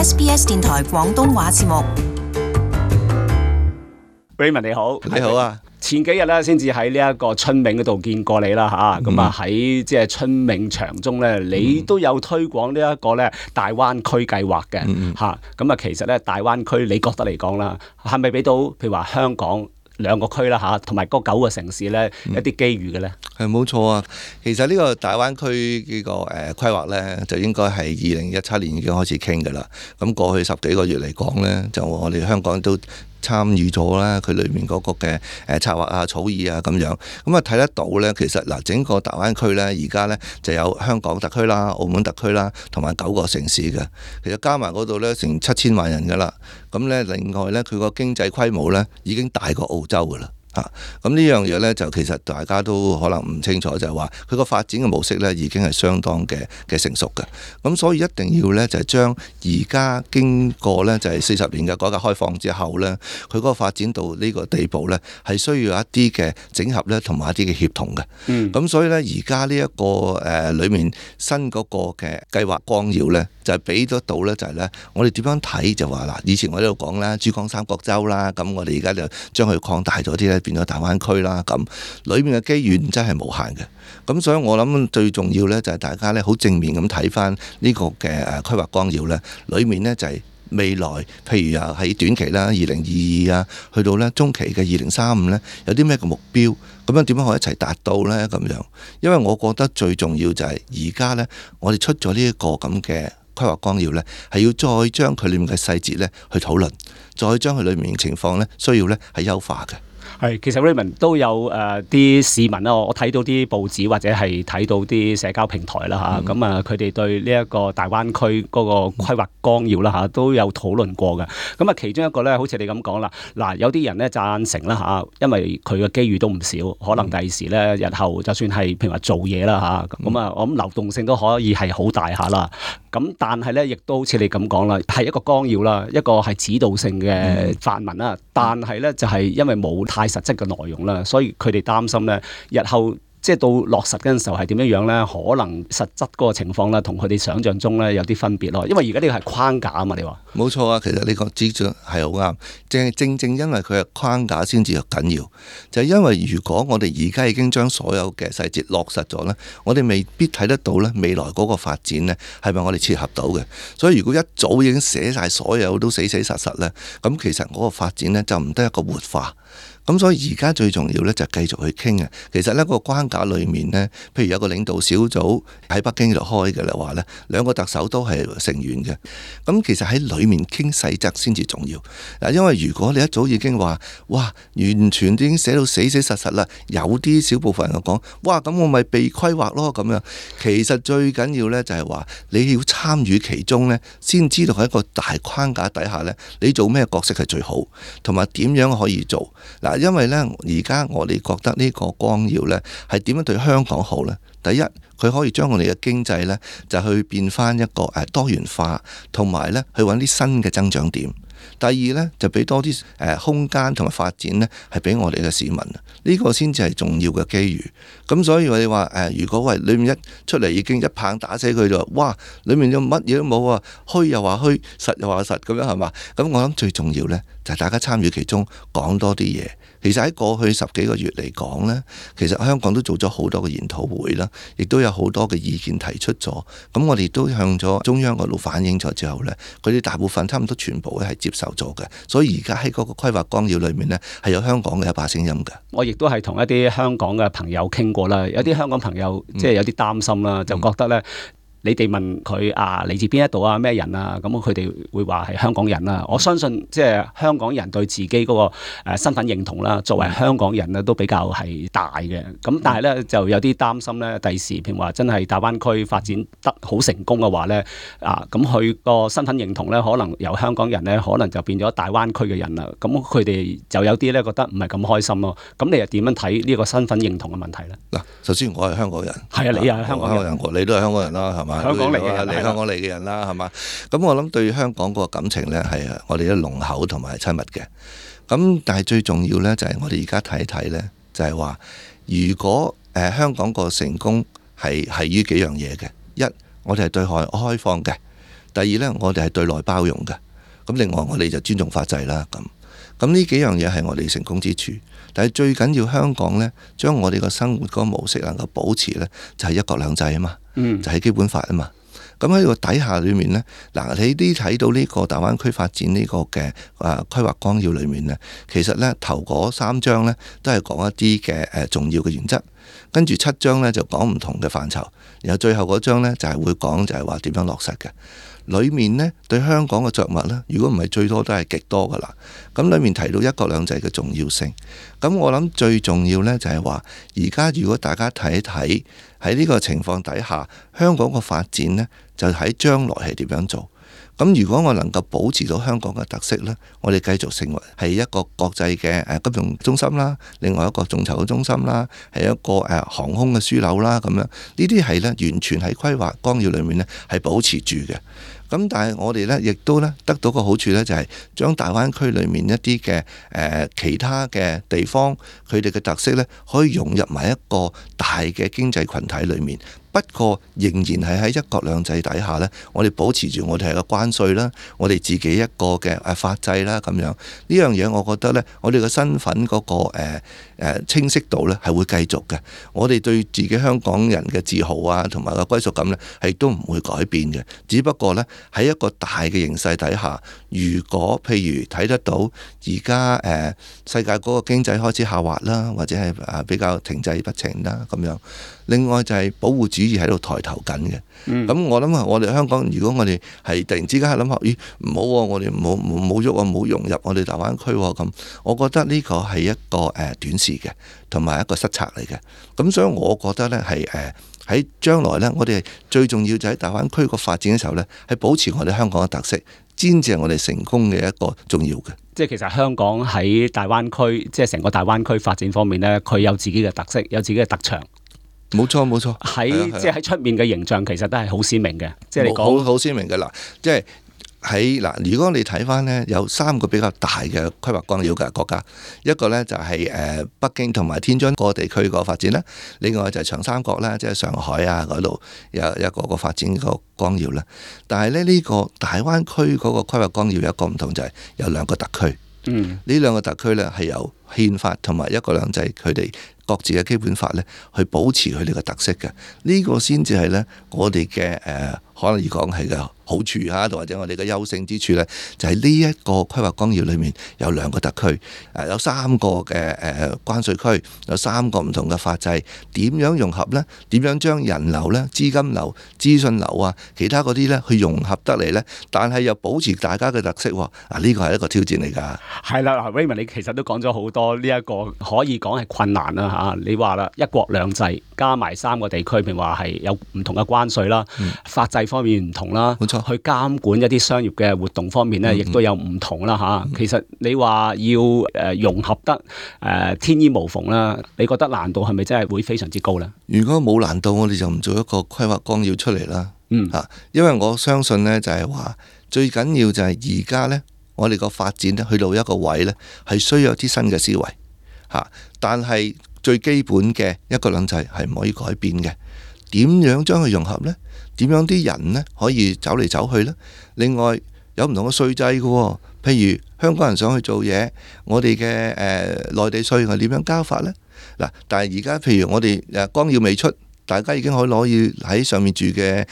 SBS 電台廣東話節目。Raymond 你好，你好啊！前幾日咧先至喺呢一個春茗嗰度見過你啦嚇，咁啊喺即係春茗場中咧，你都有推廣呢一個咧大灣區計劃嘅嚇，咁啊其實咧大灣區你覺得嚟講啦，係咪俾到譬如話香港兩個區啦嚇，同埋嗰9個城市咧一啲機遇嘅咧？係冇錯啊！其實呢個大灣區呢個規劃咧，就應該係2017年已經開始傾㗎啦。咁過去10幾個月嚟講咧，就我哋香港都參與咗啦，佢裏面嗰個嘅策劃啊、草擬啊咁樣，咁啊睇得到咧，其實嗱整個大灣區咧，而家咧就有香港特區啦、澳門特區啦，同埋9個城市嘅，其實加埋嗰度咧成7000萬人噶啦，咁咧另外咧佢個經濟規模咧已經大過澳洲噶啦。咁呢樣嘢呢，就其實大家都可能唔清楚，就係話佢個發展嘅模式呢已經係相當嘅成熟嘅。咁所以一定要呢，就係將而家經過呢，就係40年嘅改革開放之後呢，佢嗰個發展到呢個地步呢，係需要一啲嘅整合呢，同埋一啲嘅協同嘅。咁所以呢，而家呢一個裏面新嗰個嘅計劃綱要呢，就係俾得到呢，就係呢，我哋點樣睇就話嗱，以前我喺度講啦，珠江三角洲啦，咁我哋而家就將佢擴大咗啲呢。變咗大灣區啦，咁裏面嘅機遇真係無限嘅。咁所以我諗最重要呢，就係大家呢好正面咁睇翻呢個嘅規劃綱要呢，裏面呢，就係未來，譬如啊喺短期啦2022啊，去到呢中期嘅2035呢，有啲咩嘅目標，咁樣點樣可以一齊達到呢？咁樣，因為我覺得最重要就係而家呢，我哋出咗呢一個咁嘅規劃綱要呢，係要再將佢裏面嘅細節呢去討論，再將佢裏面嘅情況呢需要呢係優化嘅。係，其實 Raymond 都有啲市民啦，我睇到啲報紙或者係睇到啲社交平台啦嚇，咁佢哋對呢一個大灣區嗰個規劃綱要啦嚇都有討論過嘅。咁啊，其中一個咧，好似你咁講啦，嗱有啲人咧贊成啦嚇，因為佢嘅機遇都唔少，可能第時咧日後就算係譬如話做嘢啦嚇，咁啊我諗流動性都可以係好大下啦。咁但係咧，亦都好似你咁講啦，係一個綱要啦，一個係指導性嘅範文啦，但係咧就係因為冇太實質嘅內容啦，所以佢哋擔心咧，日後即係到落實嗰陣時候係點樣樣咧？可能實質嗰個情況咧，同佢哋想象中咧有啲分別咯。因為而家呢個係框架啊嘛，你話冇錯啊。其實呢個指出係好啱，正因為佢係框架先至緊要，就係因為如果我哋而家已經將所有嘅細節落實咗咧，我哋未必睇得到咧未來嗰個發展咧係咪我哋切合到嘅。所以如果一早已經寫晒所有都死死實實咧，咁其實嗰個發展咧就唔得一個活化。咁所以而家最重要咧就繼續去傾嘅。其實呢個框架裏面呢，譬如有個領導小組喺北京度開嘅啦話呢，2個特首都係成員嘅。咁其實喺裏面傾細則先至重要。嗱，因為如果你一早已經話，哇，完全已經寫到死死實實啦，有啲小部分人講，哇，咁我咪被規劃咯咁樣。其實最緊要呢就係話，你要參與其中呢，先知道喺一個大框架底下呢，你做咩角色係最好，同埋點樣可以做。嗱，因為呢，而家我哋覺得呢個綱要呢係點樣對香港好呢？第一，佢可以將我哋嘅經濟呢就去變翻一個多元化，同埋呢去揾啲新嘅增長點。第二呢，就俾多啲空間同埋發展呢係俾我哋嘅市民，呢個先至係重要嘅機遇。咁所以我哋話如果喂裏面一出嚟已經一棒打死佢就，哇！裏面有乜嘢都冇啊，虛又話虛，實又話實咁樣係嘛？咁我諗最重要呢，就係大家參與其中，講多啲嘢。其實喺過去10幾個月嚟講呢，其實香港都做咗好多嘅研討會啦，亦都有好多嘅意見提出咗。咁我哋都向咗中央嗰度反映咗之後呢，佢哋大部分差唔多全部咧係接受咗嘅。所以而家喺嗰個規劃綱要裏面呢，係有香港嘅一把聲音嘅。我亦都係同一啲香港嘅朋友傾過啦，有啲香港朋友即係有啲擔心啦，就覺得呢。你哋問佢嚟自邊一度啊，咩人啊？咁佢哋會話係香港人啦。我相信即係香港人對自己嗰個身份認同啦，作為香港人咧都比較係大嘅。咁但係咧就有啲擔心咧，第時譬如話真係大灣區發展得好成功嘅話咧，咁佢個身份認同咧可能由香港人咧可能就變咗大灣區嘅人啦。咁佢哋就有啲咧覺得唔係咁開心咯。咁你又點樣睇呢個身份認同嘅問題咧？嗱，首先我係香港人，係啊，你又係香港人，你都係香港人啦，係嘛？香港嚟嘅人，嚟香港嚟嘅人啦，係嘛？咁我諗對香港嗰個感情呢，係我哋都濃厚同埋親密嘅。咁但係最重要呢，就係我哋而家睇一睇呢，就係話如果香港個成功係於幾樣嘢嘅。一，我哋係對外開放嘅。第二呢，我哋係對內包容嘅。咁另外我哋就尊重法制啦。咁呢幾樣嘢係我哋成功之處。但係最緊要香港呢，將我哋個生活嗰個模式能夠保持呢，就係一國兩制啊嘛，就係基本法啊嘛。咁喺個底下裏面呢，嗱你啲睇到呢個大灣區發展呢個嘅規劃綱要裏面呢，其實呢頭嗰3章呢都係講一啲嘅重要嘅原則，跟住7章呢就講唔同嘅範疇，然後最後嗰章呢就係會講就係話點樣落實嘅。裏面呢對香港嘅著墨呢，如果唔係最多都係極多噶啦。咁裏面提到一國兩制嘅重要性，咁我諗最重要呢就係話，而家如果大家睇一睇喺呢個情況底下，香港個發展呢，就喺將來係點樣做。咁如果我能夠保持到香港嘅特色呢，我哋繼續成為係一個國際嘅金融中心啦，另外一個眾籌嘅中心啦，係一個航空嘅樞紐啦，咁樣呢啲係呢完全喺規劃綱要裏面呢係保持住嘅。咁但係我哋呢亦都呢得到個好處呢，就係將大灣區裏面一啲嘅其他嘅地方佢哋嘅特色呢，可以融入埋一個大嘅經濟群體裏面。不過仍然係喺一國兩制底下呢，我哋保持住我哋係個關稅啦，我哋自己一個嘅法制啦，咁樣呢樣嘢，我覺得呢，我哋嘅身份嗰個清晰度呢係會繼續嘅。我哋對自己香港人嘅自豪啊，同埋個歸屬感呢，係都唔會改變嘅。只不過呢，喺一個大嘅形勢底下，如果譬如睇得到而家世界嗰個經濟開始下滑啦，或者係比較停滯不前啦咁樣。另外就係保護主義喺度抬頭緊嘅。咁我諗我哋香港，如果我哋係突然之間諗下，咦唔好喎，我哋冇喐啊，冇融入我哋大灣區喎咁，我覺得呢個係一個短視嘅，同埋一個失策嚟嘅。咁所以我覺得呢係喺將來呢，我哋最重要就喺大灣區個發展嘅時候呢，係保持我哋香港嘅特色，先至係我哋成功嘅一個重要嘅。即係其實香港喺大灣區，即係成個大灣區發展方面呢，佢有自己嘅特色，有自己嘅特長。冇錯冇錯，即係喺出面嘅形象其實都係好鮮明嘅。即係你講好鮮明嘅啦，即係喺嗱，如果你睇翻呢，有3個比較大嘅規劃綱要嘅國家，一個呢就係北京同埋天津個地區個發展啦，另外就係長三角啦，即係上海啊嗰度有一個發展個綱要啦。但係呢個大灣區嗰個規劃綱要有一個唔同，就係有2個特區。呢2個特區呢係由憲法同埋一國兩制佢哋各自嘅基本法呢去保持佢哋嘅特色嘅。呢個先至係呢我哋嘅可能講係嘅好處嚇，或者我哋嘅優勝之處呢，就係呢一個規劃綱要裏面有2個特區，有3個嘅關稅區，有3個唔同嘅法制，點樣融合呢？點樣將人流呢、資金流、資訊流啊、其他嗰啲呢去融合得嚟呢？但係又保持大家嘅特色喎。呢個係一個挑戰嚟㗎。係啦，Raymond 你其實都講咗好多呢一個可以講係困難啦嚇。你話啦，一國兩制加埋3個地區，譬如話係有唔同嘅關稅啦，法制方面唔同啦，冇錯，去監管一啲商業嘅活動方面呢，亦都有唔同啦嚇。其實你話要融合得天衣無縫啦，你覺得難度係咪真係會非常之高呢？如果冇難度，我哋就唔做一個規劃綱要出嚟啦。因為我相信呢，就係話最緊要就係而家呢，我哋個發展呢去到一個位呢，係需要有啲新嘅思維嚇，但係最基本嘅一國兩制係唔可以改變嘅。點樣將佢融合呢？點樣啲人呢可以走嚟走去呢？另外有唔同嘅稅制嘅喎，譬如香港人想去做嘢，我哋嘅內地稅係點樣交法呢？嗱，但係而家譬如我哋綱要未出，大家已經可以攞喺上面住嘅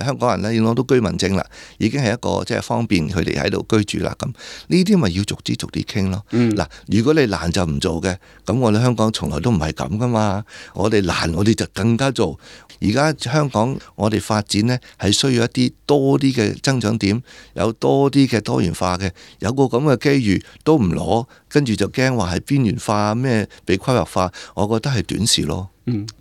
香港人咧，已經攞到居民證啦，已經係一個即係方便佢哋喺度居住啦。咁呢啲咪要逐啲傾咯。嗱，如果你難就唔做嘅，咁我哋香港從來都唔係咁噶嘛。我哋難，我哋就更加做。而家香港我哋發展呢，係需要一啲多啲嘅增長點，有多啲嘅多元化嘅，有個咁嘅機遇都唔攞，跟住就驚話係邊緣化咩被規劃化，我覺得係短視咯。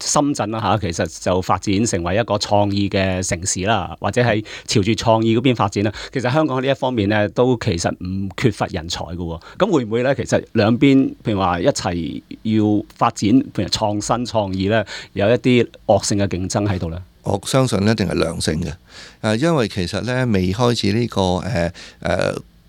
深圳啦嚇，其實就發展成為一個創意嘅城市啦，或者係朝住創意嗰邊發展啦。其實香港呢一方面呢，都其實唔缺乏人才嘅喎。咁會唔會呢？其實兩邊譬如話一齊要發展，譬如創新創意呢，有一啲惡性嘅競爭喺度呢？我相信一定係良性嘅。因為其實呢，未開始呢個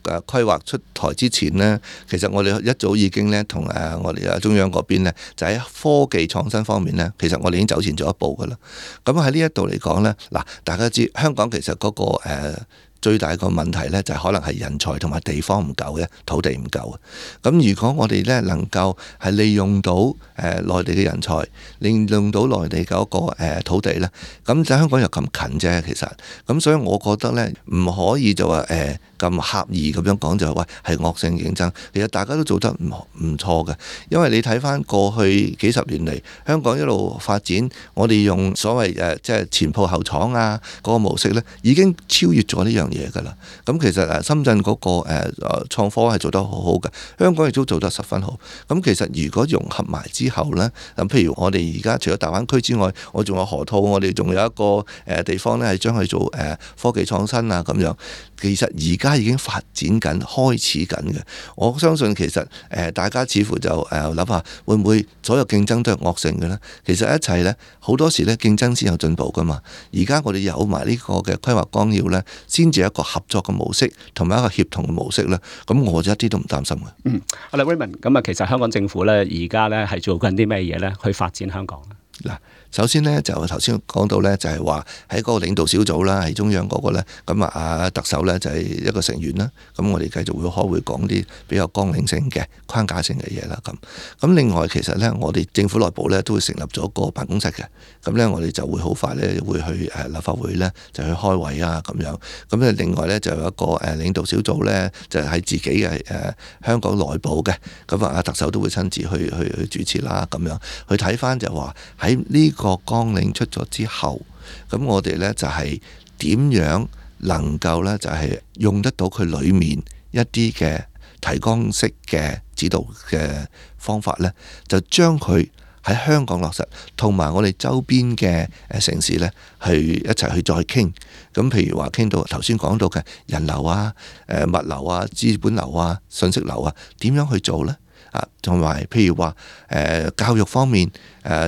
規劃出台之前呢，其實我哋一早已經呢，同我哋中央嗰邊呢，就喺科技創新方面呢，其實我哋已經走前咗一步噶啦。咁喺呢一度嚟講呢，嗱，大家知香港其實嗰個最大個問題呢，就可能係人才同埋地方唔夠嘅，土地唔夠。咁如果我哋呢能夠係利用到內地嘅人才，利用到內地嗰個土地呢，咁香港又咁近啫，其實。咁所以我覺得呢，唔可以就話咁刻意咁樣講就係話係惡性競爭。其實大家都做得唔錯嘅，因為你睇翻過去幾十年嚟，香港一路發展，我哋用所謂即係前鋪後廠啊嗰個模式呢，已經超越咗呢樣嘢㗎啦。咁其實深圳嗰個創科係做得好好嘅，香港亦都做得十分好。咁其實如果融合埋之後呢，咁譬如我哋而家除咗大灣區之外，我仲有河套，我哋仲有一個地方呢係將佢做科技創新啊咁樣。其實而家已經發展緊、開始緊嘅。我相信其實大家似乎就諗下，會唔會所有競爭都係惡性嘅呢？其實一切呢，好多時呢競爭先有進步噶嘛。而家我哋有埋呢個嘅規劃綱要呢，先至一個合作嘅模式，同埋一個協同嘅模式呢。咁我就一啲都唔擔心嘅。好啦，Raymond，咁啊，其實香港政府呢，而家呢係做緊啲咩嘢呢？去發展香港嗱，首先呢，就頭先講到呢，就係話喺嗰個領導小組啦，喺中央嗰個呢，咁啊特首呢，就係一個成員啦。咁我哋繼續會開會講啲比較綱領性嘅框架性嘅嘢啦。咁另外其實呢，我哋政府內部呢，都會成立咗個辦公室嘅。咁呢，我哋就會好快呢，會去立法會呢，就去開會啊咁樣。咁呢，另外呢，就有一個領導小組呢，就喺自己嘅香港內部嘅。咁啊特首都會親自去主持啦，咁樣去睇翻就話喺呢個綱領出咗之後，咁我哋呢就係點樣能夠呢，就係用得到佢裡面一啲嘅提綱式嘅指導嘅方法呢，就將佢喺香港落實，同埋我哋周邊嘅城市呢，去一齊去再傾。咁譬如話傾到頭先講到嘅人流啊、物流啊、資本流啊、信息流啊，點樣去做呢？同埋譬如話教育方面、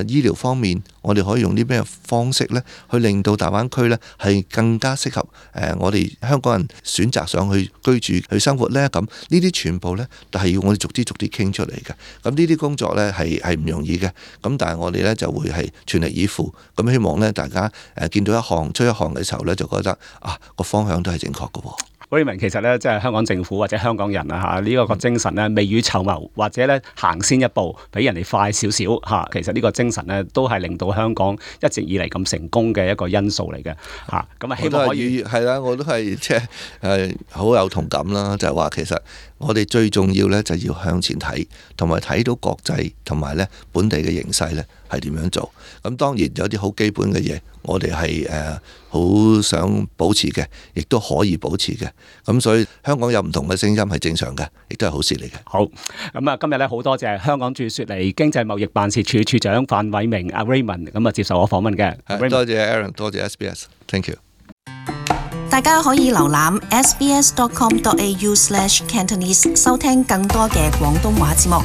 醫療方面，我哋可以用啲咩方式呢？去令到大灣區呢係更加適合我哋香港人選擇上去居住、去生活呢？咁呢啲全部呢，都係要我哋逐啲傾出嚟嘅。咁呢啲工作呢係唔容易嘅。咁但係我哋呢就會係全力以赴。咁希望呢大家見到一項出一項嘅時候呢，就覺得個方向都係正確嘅喎。Raymond，其實咧，即係香港政府或者香港人啊嚇，呢個精神咧，未雨綢繆或者咧行先一步，比人哋快少少嚇。其實呢個精神咧，都係令到香港一直以嚟咁成功嘅一個因素嚟嘅嚇。咁啊，希望可以係啦，我都係即係好有同感啦。就係話其實我哋最重要咧，就要向前睇，同埋睇到國際同埋咧本地嘅形勢咧係點樣做。咁當然有啲好基本嘅嘢，我哋係好想保持嘅，亦都可以保持嘅。咁所以香港有唔同嘅聲音係正常嘅，亦都係好事嚟嘅。好，咁啊，今日咧好多謝香港駐雪梨經濟貿易辦事處處長范偉明阿 Raymond 咁啊接受我訪問嘅。多謝 Aaron， 多謝 SBS，Thank you。大家可以瀏覽 sbs.com.au/Cantonese 收聽更多嘅廣東話節目。